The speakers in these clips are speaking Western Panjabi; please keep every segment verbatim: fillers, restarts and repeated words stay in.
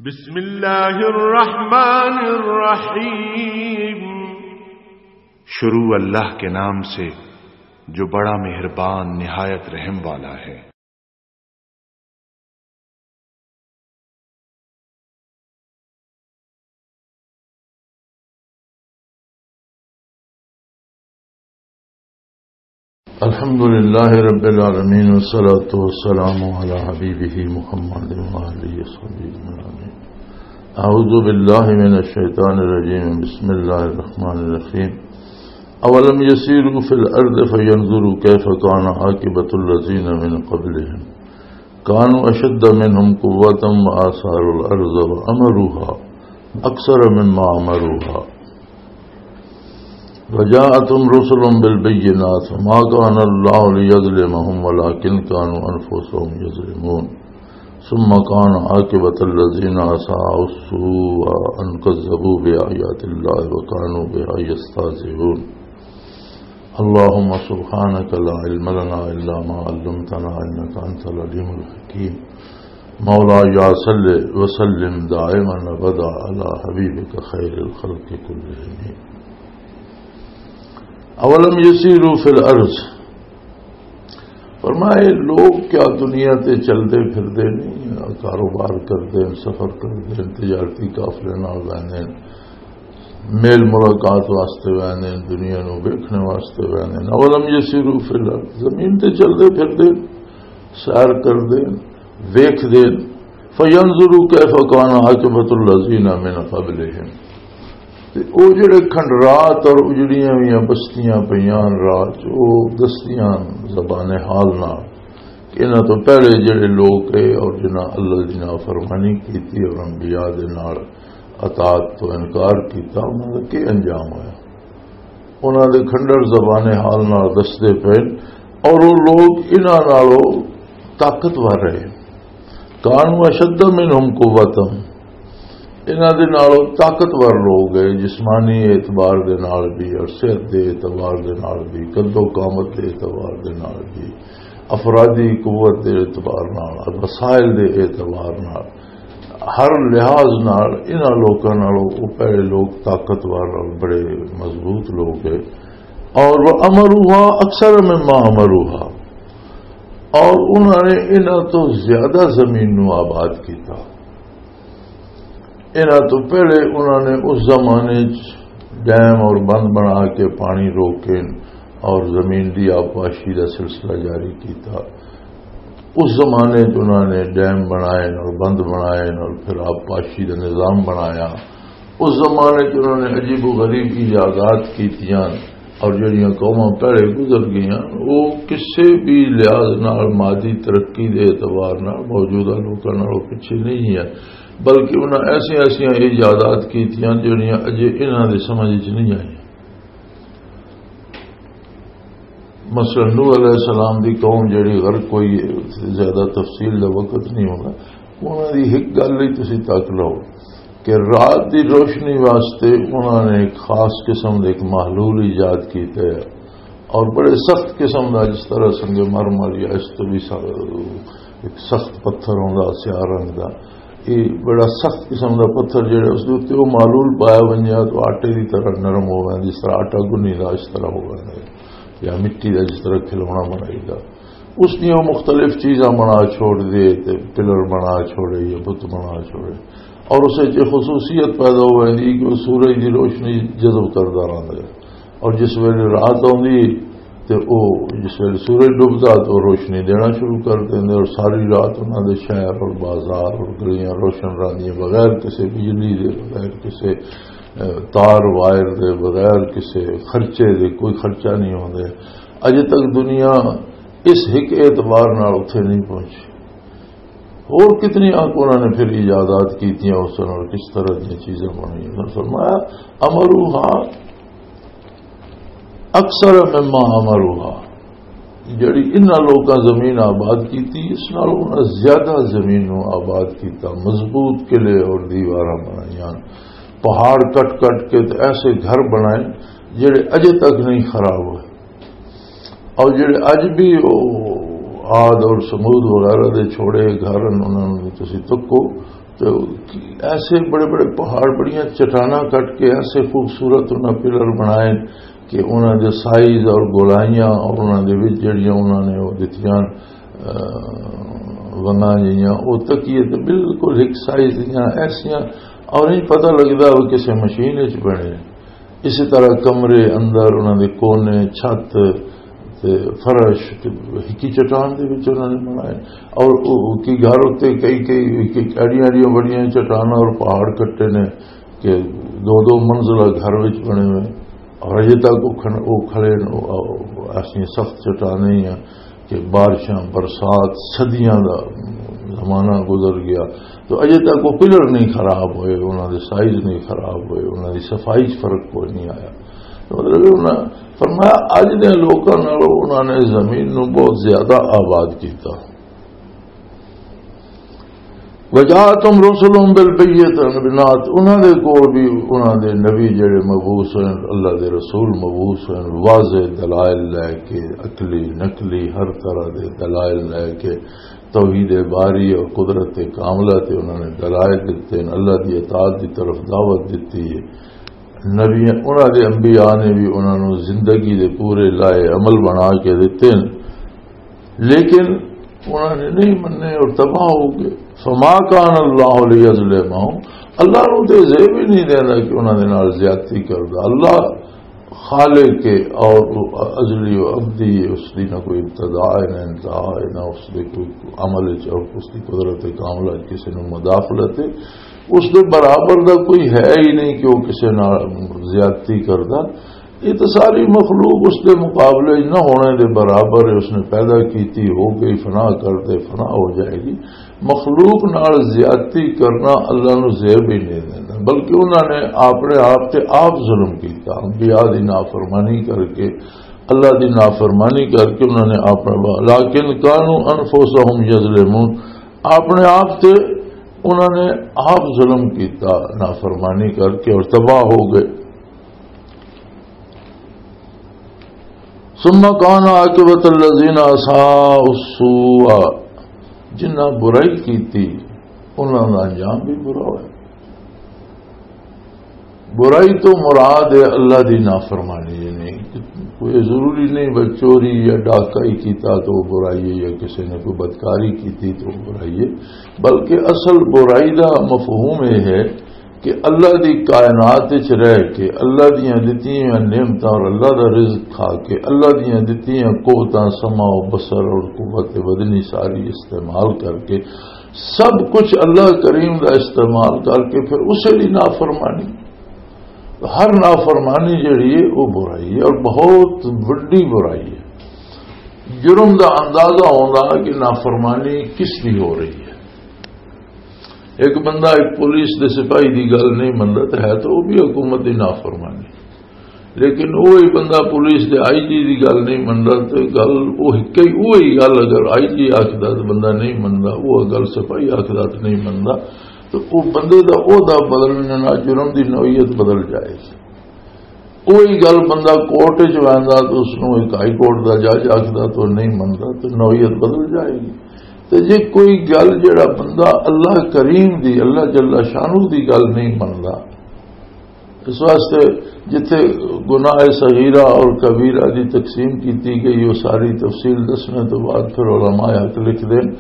بسم اللہ الرحمن الرحیم۔ شروع اللہ کے نام سے، جو بڑا مہربان، نہایت رحم والا ہے۔ الحمد لله رب العالمين، والصلاة والسلام على حبيبه محمد وآله وصحبه أجمعين. أعوذ بالله من الشيطان الرجيم. بسم الله الرحمن الرحيم. أولم يسيروا في الأرض فينظروا كيف كان عاقبة الذين من قبلهم كانوا أشد منهم قوة وآثاروا الأرض وعمروها أكثر مما عمروها وجاءتهم رسلهم بالبينات وما كان الله ليظلمهم ولكن كانوا أنفسهم يظلمون. ثم كان عاقبة الذين أساءوا السوء أن كذبوا بآيات الله وكانوا بها يستهزئون. اللهم سبحانك لا علم لنا إلا ما علمتنا إنك أنت العليم الحكيم. مولاي صل وسلم دائما أبدا على حبيبك خير الخلق كلهم. أولم يسيروا في الأرض، فرمایا، لوگ کیا دنیا تے چلدے پھردے نہیں، کاروبار کردے، سفر کردے، تجارتی قافلے نال ویندے، میل ملاقات واسطے ویندے، دنیا نو ویکھنے واسطے ویندے؟ اولم یسیروا فی الارض، زمین تے چلدے پھردے، سیر کردے، ویکھدے، فینظروا کیف کان عاقبۃ الذین من قبلہم، تے او جڑے کھنڈرات اور اجڑیاں ہوئیاں بستیاں پیاں راہ چ، او دستیاں زبان حال نال کہ انہاں تو پہلے جڑے لوگ اے اور جنہاں اللہ دی نافرمانی کیتی اور انبیاء دے نال اطاعت تو انکار کیتا، انہاں دا کی انجام ہویا؟ انہاں دے کھنڈر زبان حال نال دسدے پئے اور او لوگ انہاں نالوں طاقتور رہے۔ کانوا اشد منہم قوتا، انہاں دے نالوں طاقتور لوگ ہے، جسمانی اعتبار دے نال بھی اور صحت دے اعتبار دے نال بھی، قد و قامت دے اعتبار دے نال بھی، افرادی قوت دے اعتبار نال اور وسائل دے اعتبار نال، ہر لحاظ نال انہاں لوکاں نالوں او پہلے لوگ طاقتور اور بڑے مضبوط لوگ ہے۔ اور وہ امروہا اکثر مما امروہا، اور انہاں نے انہاں تو زیادہ زمین نو آباد کیتا۔ انہاں تو پہلے انہاں نے اس زمانے چ ڈیم اور بند بنا کے پانی روکے اور زمین دی آبپاشی دا سلسلہ جاری کیتا۔ اس زمانے چ انہاں نے ڈیم بنائے اور بند بنائے اور پھر آبپاشی دا نظام بنایا۔ اس زمانے چ انہاں نے عجیب و غریب ایجادات کیتیاں اور جڑیاں قوماں پہلے گزر گئیاں، وہ کسے بھی لحاظ نال مادی ترقی دے اعتبار نال موجودہ لوکاں نالوں پچھے نہیں ہے، بلکہ انہاں ایسیاں ایسیاں ایجادات کیتیاں جڑیاں اجے انہاں دے سمجھ وچ نہیں آئیاں۔ مثلاً نوح علیہ السلام دی قوم جڑی غرق ہوئی ہے، زیادہ تفصیل دا وقت نہیں ہونا، انہاں دی ایک گل ہی تسی تک لو کہ رات دی روشنی واسطے انہاں نے ایک خاص قسم دے ایک محلول ایجاد کیتا ہے، اور بڑے سخت قسم دا، جس طرح سنگ مر مر یا اس تو بھی سخت، ایک سخت پتھر ہوندا سیاہ رنگ دا، یہ بڑا سخت قسم دا پتھر جڑا اس دے اوتے وہ محلول پایا ونجے تو آٹے دی طرح نرم ہو ویندا، جس طرح آٹا گنی دا اس طرح ہو ویندا ہے، یا مٹی دا جس طرح کھلونا بنائی دا۔ اس دیاں مختلف چیزاں بنا چھوڑ دے، تے پلر بنا چھوڑے یا بت بنا چھوڑے، اور اسے چ خصوصیت پیدا ہو ویندی کہ وہ سورج دی روشنی جذب کردا رہندا ہے، اور جس ویلے رات آندی تے او، جس ویلے سورج ڈبدا تو روشنی دینا شروع کر دیندے، اور ساری رات انہاں دے شہر اور بازار اور گلیاں روشن رہندیاں، بغیر کسے بجلی دے، بغیر کسے، اے، تار وائر دے، بغیر کسے خرچے دے، کوئی خرچہ نہیں ہوندے۔ اجے تک دنیا اس ہک اعتبار نال اتھے نہیں پہنچی۔ اور کتنی آنکھ انہاں نے پھر ایجادات کیتیاں، اس نال کس طرح دیاں چیزاں بنائیاں۔ انہاں نے فرمایا، امروہا اکثر مما امروہا، جڑی انہاں لوکاں زمین آباد کیتی، اس نال انہاں زیادہ زمین نو آباد کیتا، مضبوط قلعے اور دیواراں بنائیاں، پہاڑ کٹ کٹ کے تے ایسے گھر بنائے جڑے اجے تک نہیں خراب ہوئے۔ اور جڑے اج بھی او عاد اور سمود وغیرہ دے چھوڑے گھر ہن، انہاں نوں تسی تکو، تو ایسے بڑے بڑے پہاڑ، بڑیاں چٹاناں کٹ کے ایسے خوبصورت انہاں پلر بنائے کہ انہاں دے سائز اور گولائیاں اور انہاں دے وچ جڑیاں انہاں نے وہ دتیاں، آ، ونگاں جیاں، وہ تکیے تے بالکل ایک سائز دیاں ایسیاں، اور نہیں پتہ لگدا وہ کسے مشین وچ بنے۔ اسی طرح کمرے اندر انہاں دے کونے، چھت تے فرش تے ہکی چٹان دے وچ انہاں نے بنائے۔ اور او، او کی گھر اُتے کئی، کئی، کئی اڑیاں، اڑیاں بڑیاں چٹاناں اور پہاڑ کٹے نے کہ دو دو منزلہ گھر وچ بنے ہوئے۔ اور اجے تک او کھن-، او کھڑے نے، او، او ایسی سخت چٹانیں ہی ہیں کہ بارشاں، برسات، صدیاں دا زمانہ گزر گیا، تو اجے تک وہ پلر نہیں خراب ہوئے، انہاں دے سائز نہیں خراب ہوئے، انہاں دی صفائی 'چ فرق کوئی نہیں آیا۔ تو مطلب، انہاں فرمایا، اج دے لوکاں نالوں انہاں نے زمین نو بہت زیادہ آباد کیتا۔ وجاءتهم رسلهم بالبينات، انہاں دے کول بھی انہاں دے نبی جڑے مبعوث ہوئے، اللہ دے رسول مبعوث ہوئے، واضح دلائل لے کے، عقلی، نقلی، ہر طرح دے دلائل لے کے، توحید باری اور قدرت کاملہ تے انہاں نے دلائل دتے ہیں، اللہ دی اطاعت دی طرف دعوت دتی ہے۔ نبی، انہاں دے انبیاء نے بھی انہاں نوں زندگی دے پورے لائے عمل بنا کے دتے ہیں، لیکن انہاں نے نہیں مننے اور تباہ ہو گئے۔ فما کان اللہ لیظلمہم، اللہ نوں تے زیب ہی نہیں دینا کہ انہاں دے نال زیادتی کردا۔ اللہ خالق ہے اور وہ ازلی و ابدی ہے، اس دی نہ کوئی ابتدا ہے، نہ انتہا ہے، نہ اس دے کوئی عمل ہے اور اس دی قدرت کاملہ کسی نوں مداخلت ہے۔ اس دے برابر دا کوئی ہے ہی نہیں کہ وہ کسی نال زیادتی کردا۔ یہ تو ساری مخلوق اس دے مقابلے نہ ہونے دے برابر ہے۔ اس نے پیدا کیتی، ہو گئی، فنا کر دے، فنا ہو جائے گی۔ مخلوق نال زیادتی کرنا اللہ نو زیب ہی نہیں دینا، بلکہ انہوں نے اپنے آپ تے آپ ظلم کیتا، انبیاء دی نافرمانی کر کے، اللہ دی نافرمانی کر کے انہوں نے اپنا، لیکن کانوا انفسہم یظلمون، اپنے آپ تے انہوں نے آپ ظلم کیتا، نافرمانی کر کے اور تباہ ہو گئے۔ ثم کان عاقبۃ الذین اساءوا السوء، جنہاں برائی کیتی، انہاں دا انجام بھی برا ہویا۔ برائی تو مراد ہے اللہ دی نافرمانی، یعنی کوئی ضروری نہیں بس چوری یا ڈاکہ ہی کیتا تو برائی ہے، یا کسی نے کوئی بدکاری کیتی تو برائی ہے، بلکہ اصل برائی دا مفہوم یہ ہے کہ اللہ دی کائنات وچ رہ کے، اللہ دیاں دتیاں نعمتاں اور اللہ دا رزق کھا کے، اللہ دیاں دتیاں قوتاں، سمع و بصر اور قوت بدنی ساری استعمال کر کے، سب کچھ اللہ کریم دا استعمال کر کے پھر اسے دی نافرمانی۔ تو ہر نافرمانی جڑی ہے، وہ برائی ہے اور بہت وڈی برائی ہے۔ جرم دا اندازہ ہوندا کہ نافرمانی کس دی ہو رہی ہے۔ ایک بندہ ایک پولیس دے سپاہی دی گل نہیں مندا، تے ہے تو وہ بھی حکومت دی نافرمانی۔ لیکن وہی بندہ پولیس دے آئی جی دی گل نہیں مندا، تے گل وہی، کئی وہی گل اگر آئی جی آکھدا تے بندہ نہیں مندا، وہ گل سپاہی آکھدا تے نہیں مندا، تو وہ بندے دا عہدہ بدلنے نال جرم دی نوعیت بدل جائے۔ وہی گل بندہ کورٹ وچ ویندا تے اس نوں ایک ہائی کورٹ دا جج آکھدا تے وہ نہیں مندا، تے نوعیت بدل جائے گی۔ تے جے کوئی گل جڑا بندہ اللہ کریم دی، اللہ جل شانہ دی گل نہیں مندا، اس واسطے جتھے گناہ صغیرہ اور کبیرہ دی تقسیم کیتی گئی، وہ ساری تفصیل دسنے تو بعد پھر علماء حق لکھ دین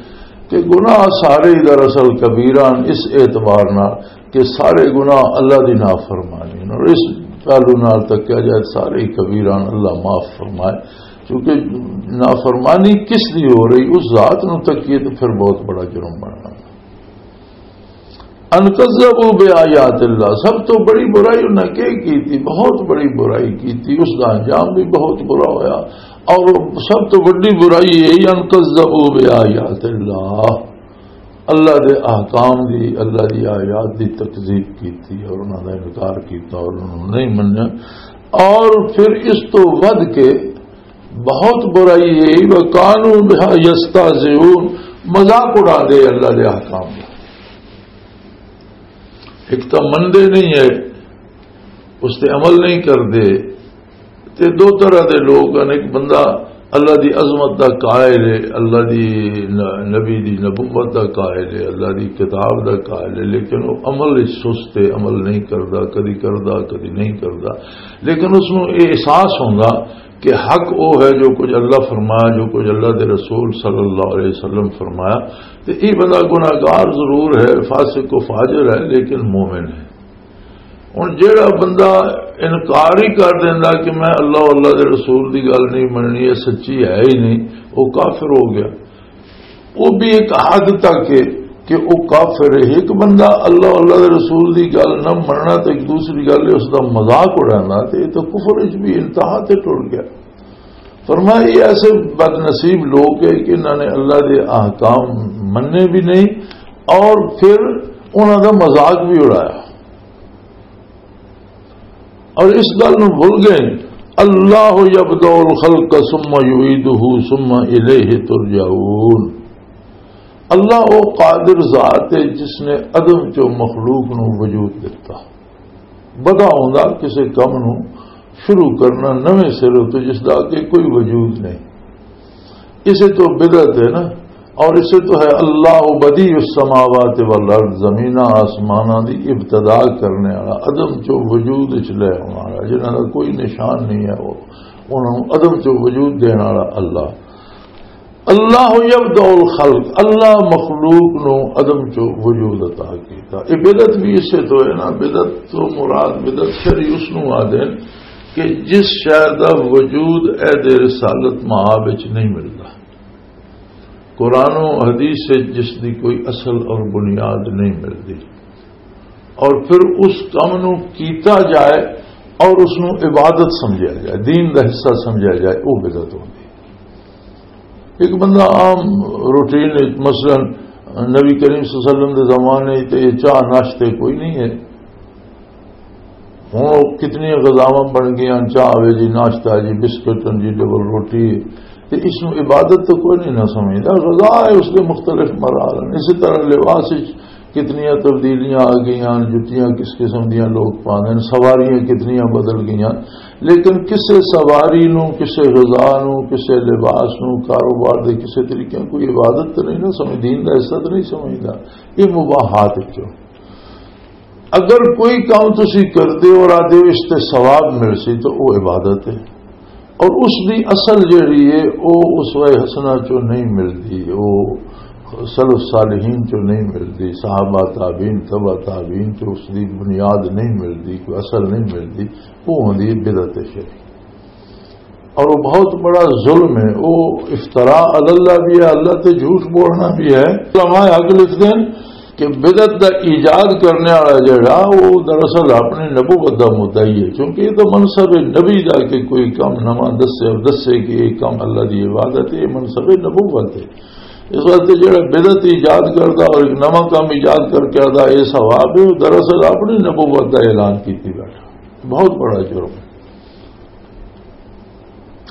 کہ گناہ سارے ہی دراصل کبیرہ ہیں، اس اعتبار نال کہ سارے گناہ اللہ دی نافرمانی ہیں۔ اور اس پہلو نال تکیا جائے، سارے ہی کبیرہ ہیں، اللہ معاف فرمائے، کیونکہ نافرمانی کس دی ہو رہی، اس ذات نو تکیے تو پھر بہت بڑا جرم بننا۔ ان کذبوا بآیات اللہ، سب تو بڑی برائی انہاں کی کی تھی، بہت بڑی برائی کی تھی، اس دا انجام بھی بہت برا ہویا۔ اور سب تو بڑی برائی یہ ان کذبوا بآیات اللہ، اللہ دے احکام دی، اللہ دی آیات دی تکذیب کی تھی اور انہاں دا انکار کیتا اور انہوں نے نہیں منیا۔ اور پھر اس تو ود کے بہت برائی ہے، وَكَانُوا بِهَا يَسْتَهْزِئُونَ، مذاق اڑا دے اللہ دے احکام دا۔ ایک تو مندے نہیں ہے، اس تے عمل نہیں کردے۔ تے دو طرح دے لوگ ہیں، ایک بندہ اللہ دی عظمت دا قائل ہے، اللہ دی ن-، نبی دی نبوت دا قائل ہے، اللہ دی کتاب دا قائل ہے، لیکن وہ عمل وچ سست ہے، عمل نہیں کردا، کدی کردا، کدی نہیں کردا۔ لیکن اس نوں یہ احساس ہوندا کہ حق وہ ہے جو کچھ اللہ فرمایا، جو کچھ اللہ دے رسول صلی اللہ علیہ وسلم فرمایا۔ تے یہ بندہ گناہگار ضرور ہے، فاسق و فاجر ہے، لیکن مومن ہے۔ ہن جیڑا بندہ انکار ہی کر دیندا کہ میں اللہ، اللہ دے رسول دی گل نہیں مننی، یہ سچی ہے ہی نہیں، وہ کافر ہو گیا۔ وہ بھی ایک حد تک ہے کہ وہ کافر ہے۔ ایک بندہ اللہ، اللہ دے رسول دی گل نہ مننا تے ایک دوسری گل ہے اس دا مذاق اڑانا، تے یہ تو کفر وچ بھی انتہا تے ٹر گیا۔ فرمایا، یہ ایسے بد نصیب لوگ ہیں کہ انہوں نے اللہ دے احکام مننے بھی نہیں اور پھر انہوں دا مذاق بھی اڑایا۔ اور اس گل نوں بھول گئے، اللہ یبدأ الخلق ثم یعیدہ ثم الیہ ترجعون۔ اللہ وہ قادر ذات ہے جس نے عدم چوں مخلوق نوں وجود دتا۔ بدا ہوندا کسے کم نوں شروع کرنا نویں سروں تو، جس دا کہ کوئی وجود نہیں۔ اسے تو بدعت ہے نا۔ اور اسے تو ہے اللہ بدیع السماوات والارض، زمیناں آسماناں دی ابتدا کرنے والا، عدم چو وجود وچ لے آنے والا، جنہاں دا کوئی نشان نہیں ہے، وہ انہاں نوں عدم چو وجود دینے والا اللہ۔ اللہ یبدأ الخلق، اللہ مخلوق نو عدم چو وجود عطا کیتا۔ یہ بدعت بھی اسے تو ہے نا، بدعت تو مراد، بدعت شرعی اس نو آدھے کہ جس شے دا وجود عہد رسالت مآب وچ نہیں ملدا، قرآن و حدیث وچ جس دی کوئی اصل اور بنیاد نہیں ملدی، اور پھر اس کم نو کیتا جائے اور اس نو عبادت سمجھا جائے، دین دا حصہ سمجھا جائے، وہ بدعت ہوندی۔ ایک بندہ عام روٹین وچ، مثلاً نبی کریم صلی اللہ علیہ وسلم دے زمانے تے یہ چاہ ناشتے کوئی نہیں ہے۔ ہن او کتنی غذاواں بن گئیاں، چاہ وے جی، ناشتہ جی، بسکٹ ہن جی، ڈبل روٹی۔ تے اس نوں عبادت تو کوئی نہیں نہ سمجھدا۔ غذا ہے، اس دے مختلف مراحل ہیں۔ اسی طرح لباس وچ کتنیاں تبدیلیاں آ گئیاں، جتیاں کس قسم دیاں لوگ پاندے نے، سواریاں کتنیاں بدل گئیاں، لیکن کسے سواری نوں، کسے غذا نوں، کسے لباس نوں، کاروبار دے کسے طریقے نوں کوئی عبادت تو نہیں نہ سمجھ، دین دا حصہ تو نہیں سمجھدا۔ یہ مباحات وچوں۔ اگر کوئی کام تسی کردے ہو اور آدھے ہو اس تے ثواب مل سی تو وہ عبادت ہے۔ اور اس دی اصل جڑی ہے، وہ اسوہ حسنہ چوں نہیں ملدی، وہ سلف صالحین چوں نہیں ملدی، صحابہ تابعین، تبع تابعین چوں اس دی بنیاد نہیں ملدی، کوئی اصل نہیں ملدی، وہ ہوندی ہے بدعت شریف۔ اور وہ بہت بڑا ظلم ہے، وہ افتراء علی اللہ بھی ہے، اللہ تے جھوٹ بولنا بھی ہے۔ علماء حق لکھتے ہیں کہ بدعت دا ایجاد کرنے والا جڑا، وہ دراصل اپنی نبوت دا مدعی ہے، کیونکہ یہ تو منصب نبی دا کہ کوئی کم نواں دسے اور دسے کہ یہ کم اللہ دی عبادت ہے، یہ منصب نبوت ہے۔ اس واسطے جڑا بدعت ایجاد کردا اور ایک نواں کم ایجاد کر کے آدا یہ ثواب ہے، وہ دراصل اپنی نبوت دا اعلان کیتی بیٹھا۔ بہت بڑا جرم ہے۔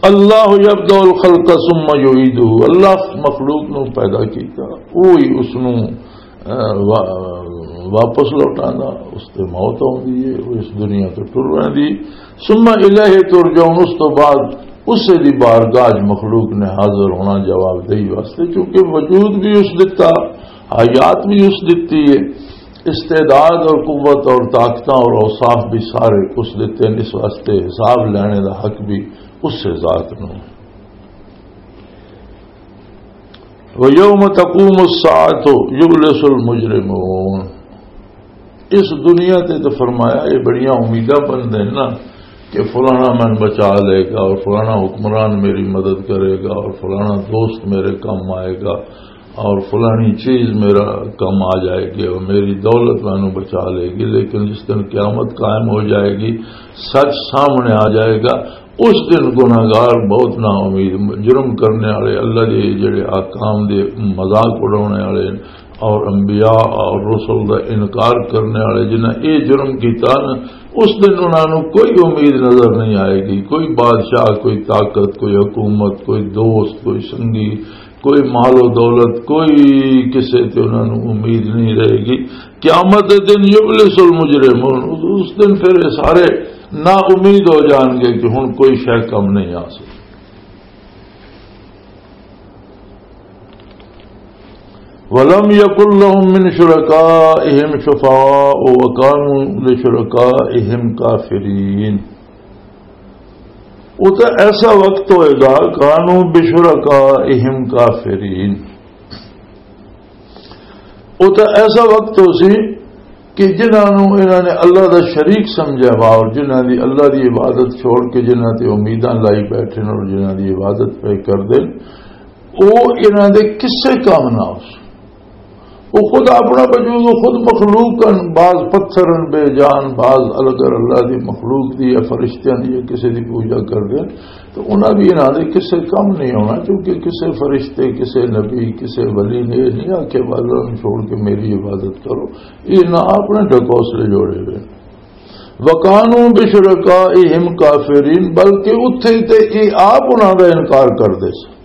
اللہ یبدأ الخلق ثم یعیدہ، اللہ مخلوق نو پیدا کیتا، وہی اس نو، اہ، وا-، واپس لوٹاندا، اس تے موت ہوندی ہے، وہ اس دنیا تو ٹر ویندی۔ ثم الیہ ترجعون، اس تو بعد اسے دی بارگاہ وچ مخلوق نے حاضر ہونا جواب دہی واسطے، کیونکہ وجود بھی اس دتا، حیات بھی اس دتی ہے، استعداد اور قوت اور طاقتاں اور اوصاف بھی سارے اس دتے ہیں، اس واسطے حساب لینے دا حق بھی اس سے ذات نو ہے۔ وَيَوْمَ تَقُومُ السَّاعَةُ يُبْلِسُ الْمُجْرِمُونَ۔ اس دنیا تے تو فرمایا، یہ بڑیاں امیداں بندے ہیں نا کہ فلانا مین بچا لے گا اور فلانا حکمران میری مدد کرے گا اور فلانا دوست میرے کم آئے گا اور فلانی چیز میرا کم آ جائے گی اور میری دولت مینوں بچا لے گی، لیکن جس دن قیامت قائم ہو جائے گی، سچ سامنے آ جائے گا، اس دن گناہگار بہت نا امید، جرم کرنے والے، اللہ دے جڑے احکام دے مذاق اڑانے والے اور انبیاء اور رسل دا انکار کرنے والے جنہاں اے جرم کیتا نا، اس دن انہاں نوں کوئی امید نظر نہیں آئے گی، کوئی بادشاہ، کوئی طاقت، کوئی حکومت، کوئی دوست، کوئی سنگی، کوئی مال و دولت، کوئی کسے تے انہاں نوں امید نہیں رہے گی۔ قیامت دے دن یبلس المجرمون، اس دن پھر یہ سارے نا امید ہو جان گے کہ ہن کوئی شے کم نہیں آ سکتی۔ ولم يكن لهم من شركائهم شفعاء وكانوا لشركائهم كافرين۔ وہ تو ایسا وقت ہوئے گا، كانوا بشركائهم كافرين۔ وہ تو ایسا وقت ہو سی کہ جنہاں نوں انہاں نے اللہ دا شریک سمجھا وا اور جنہاں دی اللہ دی عبادت چھوڑ کے جنہاں تے امیداں لائی بیٹھے نے اور جنہاں دی عبادت پہ کر دے، او انہاں دے کسے کام نہ ہو سی۔ وہ خود اپنا وجود، وہ خود مخلوق ہن، بعض پتھر ہن بے جان، بعض الگر اللہ دی مخلوق دی یا فرشتیاں دی یا کسے دی پوجا کر دے، تو انہاں بھی انہاں دے کسے کم نہیں ہونا، کیونکہ کسے فرشتے، کسے نبی، کسے ولی نے یہ نہیں آکھیا، "بس انہاں نوں چھوڑ کے میری عبادت کرو۔" یہ نہ اپنے ڈھکوسلے جوڑے ہوئے۔ وَكَانُوا بِشُرَكَائِهِمْ كَافِرِينَ، بلکہ اتھے تے یہ آپ انہاں دا انکار کر دے سی۔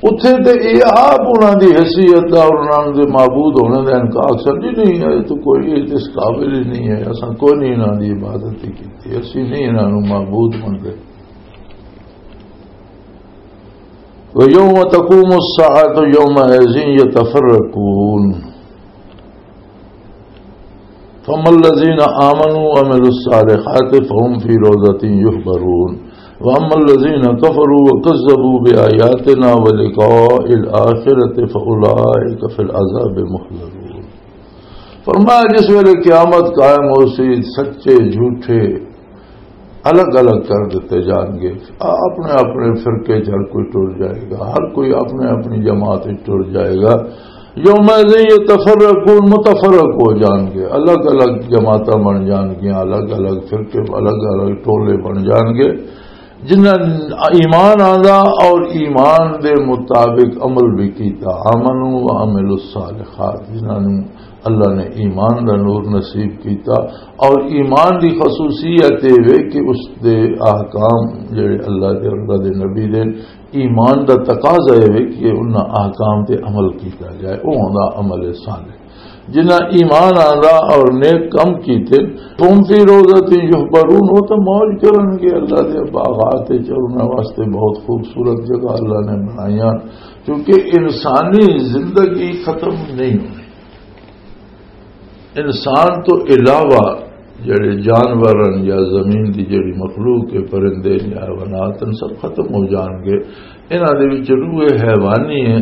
اتھے تے یہ آپ انہاں دی حیثیت دا اور انہاں دے معبود ہونے دا انکار سمجھی نہیں ہے، تو کوئی یہ اس قابل ہی نہیں ہے، اساں کوئی نہیں انہاں دی عبادت ہی کیتی، اسی نہیں انہاں نوں معبود منتے۔ وَيَوْمَ تَقُومُ السَّاعَةُ يَوْمَئِذٍ يَتَفَرَّقُونَ۔ فَأَمَّا الَّذِينَ آمَنُوا وَعَمِلُوا الصَّالِحَاتِ فَهُمْ فِي رَوْضَةٍ يُحْبَرُونَ، وَأَمَّا الَّذِينَ كَفَرُوا وَكَذَّبُوا بِآيَاتِنَا وَلِقَاءِ الْآخِرَةِ فَأُولَٰئِكَ فِي الْعَذَابِ مُحْضَرُونَ۔ فرمایا، جس ویلے قیامت قائم ہو سی، سچے جھوٹے الگ الگ کر دتے جان گے۔ آ-، اپنے اپنے فرقے چ ہر کوئی ٹر جائے گا، ہر کوئی اپنے اپنی جماعت وچ ٹر جائے گا۔ یوم یتفرقون، متفرق ہو جان گے، الگ الگ جماعتاں بن جان گیاں، الگ الگ فرقے، الگ الگ ٹولے بن جان گے۔ جنہاں ایمان آندا اور ایمان دے مطابق عمل بھی کیتا، آمنوا وعملوا الصالحات، جنہاں نوں اللہ نے ایمان دا نور نصیب کیتا، اور ایمان دی خصوصیت یہ وے کہ اس دے احکام جڑے اللہ دے اور اللہ دے نبی دے، ایمان دا تقاضا یہ وے کہ انہاں احکام تے عمل کیتا جائے، وہ ہوندا عمل صالح۔ جنہاں ایمان آندا اور نیک کم کیتے، فَهُمْ فِي رَوْضَةٍ يُحْبَرُونَ، وہ تو موج کرن گے اللہ دے باغات وچ، اور انہاں واسطے بہت خوبصورت جگہ اللہ نے بنائیاں، کیونکہ انسانی زندگی ختم نہیں ہونی۔ انسان تو علاوہ جڑے جانور ہیں یا زمین دی جڑی مخلوق ہے، پرندے، حیوانات ہیں، سب ختم ہو جان گے۔ انہاں دے وچ روح حیوانی ہے،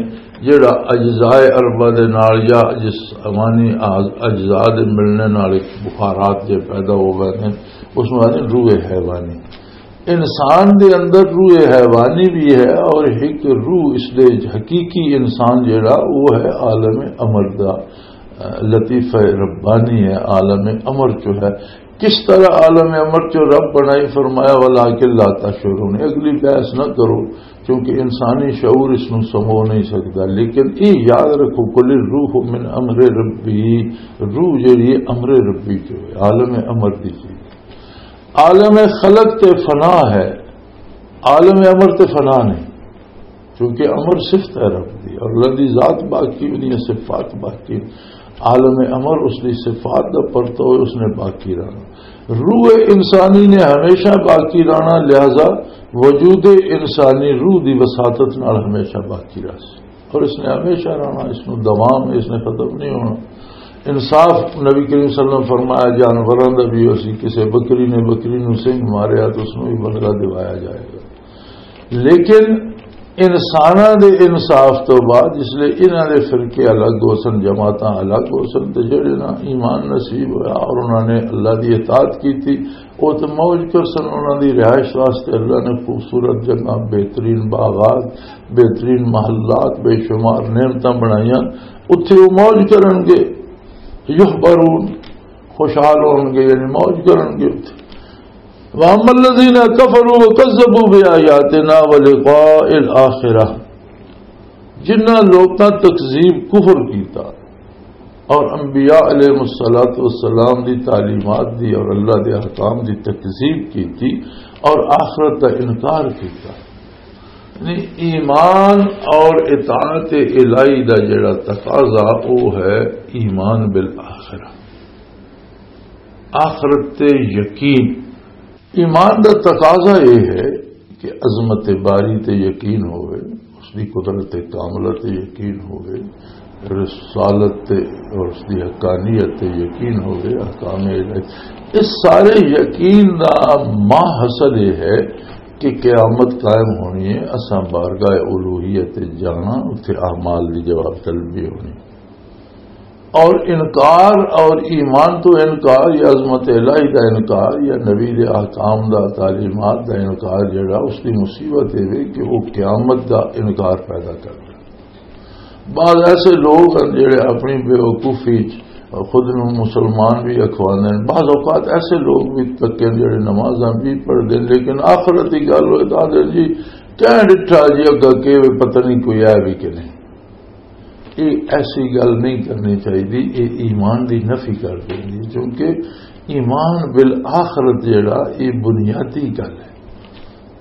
جڑا اجزاء اربعہ دے نال یا جسمانی اعض-، اجزاء دے ملنے نال ایک بخارات جے پیدا ہو گئے ہیں، اس نوں آندے روح حیوانی۔ انسان دے اندر روح حیوانی بھی ہے اور ایک روح اس دے حقیقی انسان جڑا وہ ہے عالم امر دا، لطیفہ ربانی ہے، عالم امر جو ہے۔ کس طرح عالم امر جو رب بنائی، فرمایا، "ولکن لا تشعرون"، اگلی بحث نہ کرو، کیونکہ انسانی شعور اس نوں سمو نہیں سکتا۔ لیکن یہ یاد رکھو، "قل الروح من امر ربی"، روح جڑی ہے امر ربی جو ہے، عالم امر دی چیز۔ عالم خلق تے فنا ہے، عالم امر تے فنا نہیں، کیونکہ امر صفت ہے رب دی، اور اللہ دی ذات باقی، اُنہاں صفات باقی۔ عالم امر اس دی صفات دا پرتو ہے، اس نے باقی رہنا۔ روح انسانی نے ہمیشہ باقی رہنا، لہذا وجود انسانی روح دی وساطت نال ہمیشہ باقی رہ سی، اور اس نے ہمیشہ رہنا، اس نوں دوام ہے، اس نے ختم نہیں ہونا۔ انصاف، نبی کریم صلی اللہ علیہ وسلم فرمایا، جانوراں دا بھی ہو سی، کسے بکری نے بکری نوں سنگھ ماریا تو اس نوں بھی بدلہ دوایا جائے گا۔ لیکن انساناں دے انصاف تو بعد، جس لئے انہاں دے فرقے الگ ہو سن، جماعتاں الگ ہو سن، تے جڑے نا ایمان نصیب ہویا اور انہاں نے اللہ دی اطاعت کیتی، او تے موج کر سن۔ انہاں دی رہائش واسطے اللہ نے خوبصورت جگہ، بہترین باغات، بہترین محلات، بے شمار نعمتاں بنائیاں، اتھے او موج کرن گے۔ یحبرون، خوشحال ہون گے، یعنی موج کرن گے اتھے۔ وَأَمَّا الَّذِينَ كَفَرُوا وَكَذَّبُوا بِآيَاتِنَا وَلِقَاءِ الْآخِرَةِ، جنہاں لوکاں تکذیب، کفر کیتا اور انبیاء علیہ الصلوۃ والسلام دی تعلیمات دی اور اللہ دے احکام دی تکذیب کیتی اور آخرت دا انکار کیتا، یعنی ایمان اور اطاعت الہی دا جڑا تقاضا، وہ ہے ایمان بالآخرہ، آخرت تے یقین۔ ایمان دا تقاضا یہ ہے کہ عظمت باری تے یقین ہوئے، اس اس دی قدرت کاملہ تے یقین ہوئے، رسالت تے اور اس دی حقانیت تے یقین ہوئے، احکام الہی۔ اس سارے یقین دا ماں حاصل یہ ہے کہ قیامت قائم ہونی ہے، اساں بارگاہ الوہیت تے جانا، اتھے اعمال دی جواب طلبی ہونی۔ اور انکار اور ایمان تو انکار یا عظمت الہی دا انکار یا نبی دے احکام دا، تعلیمات دا انکار، جڑا اس دی مصیبت ہے وے کہ وہ قیامت دا انکار پیدا کر دے۔ بعض ایسے لوگ ہیں جڑے اپنی بیوقوفی چ خود نوں مسلمان بھی اکھواندے ہیں۔ بعض اوقات ایسے لوگ بھی تکے ہیں جڑے نمازاں بھی پڑھ دے، لیکن آخرت کی گل ہوئے تو آدھے، "جی، کہہ ڈٹھا جی، اگا کہ وے پتہ نہیں کوئی ہے بھی کہ نہیں۔" یہ ایسی گل نہیں کرنی چاہیے، یہ ایمان دی نفی کر دینی، کیونکہ ایمان بالآخرت جڑا، یہ بنیادی گل ہے۔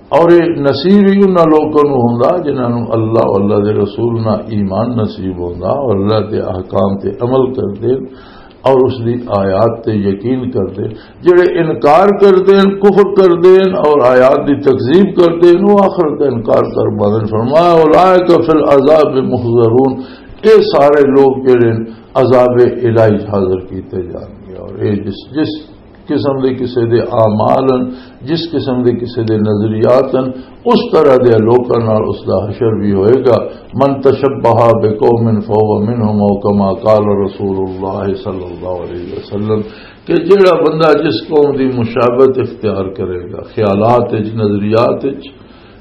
اور یہ نصیب ہی انہاں لوکاں نوں ہوندا جنہاں نوں اللہ اور اللہ دے رسول نہ ایمان نصیب ہوندا اور اللہ دے احکام تے عمل کردے اور اس دی آیات تے یقین کردے۔ جڑے انکار کردے ہیں، کفر کردے ہیں اور آیات دی تکذیب کردے ہیں، وہ آخرت دا انکار کر باندے ہیں۔ فرمایا، "اولئک فی العذاب محضرون"، اے سارے لوگ جڑے ہیں عذاب الہی حاضر کیتے جان گے۔ اور اے جس، جس قسم دے کسے دے اعمال ہیں، جس قسم دے کسے دے نظریات ہیں، اس طرح دے لوکاں نال اس دا حشر بھی ہوئے گا۔ "من تشبہ بقوم فہو منہم"، او کما قال رسول اللہ صلی اللہ علیہ وسلم، کہ جیڑا بندہ جس قوم دی مشابہت اختیار کرے گا، خیالات وچ، نظریات وچ،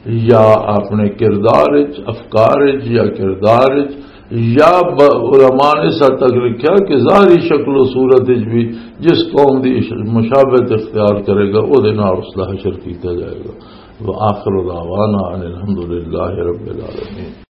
یا اپنے کردار وچ، افکار وچ یا کردار وچ، یا ب-، علماء نے اس حد تک لکھیا کہ ظاہری شکل و صورت وچ بھی جس قوم دی اش-، مشابہت اختیار کرے گا، او دے نال اس دا حشر کیتا جائے گا۔ وآخر دعوانا ان الحمدللہ رب العالمین۔